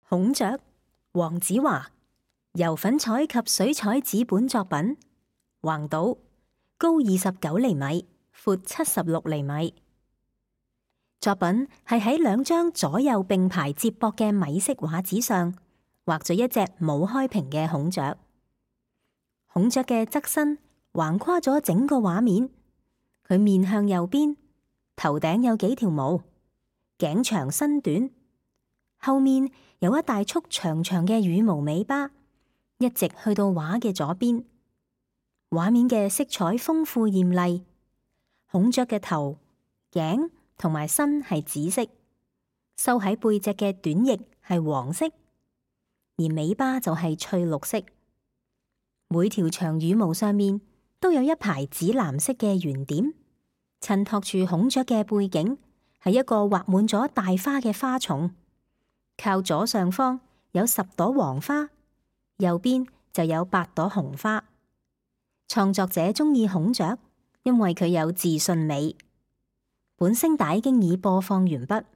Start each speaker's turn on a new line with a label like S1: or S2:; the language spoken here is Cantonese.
S1: 孔雀，黃子華，油粉彩及水彩紙本作品，橫島，高29厘米，闊76厘米。作品係喺2張左右並排接駁嘅米色畫紙上畫咗一隻冇開屏嘅孔雀。孔雀嘅側身橫跨咗整個畫面，佢面向右邊，頭頂有幾條毛，頸長身短，後面有一大束長長嘅羽毛尾巴，一直去到畫嘅左邊。畫面嘅色彩豐富艷麗，孔雀嘅頭、頸同埋身係紫色，收喺背脊嘅短翼係黃色，而尾巴就係翠綠色。每條長羽毛上面都有一排紫藍色嘅圓點，襯托住孔雀嘅背景係一個畫滿咗大花嘅花叢。靠左上方有10朵黃花，右邊就有8朵紅花。創作者鍾意孔雀，因為佢有自信美。本聲帶經已播放完畢。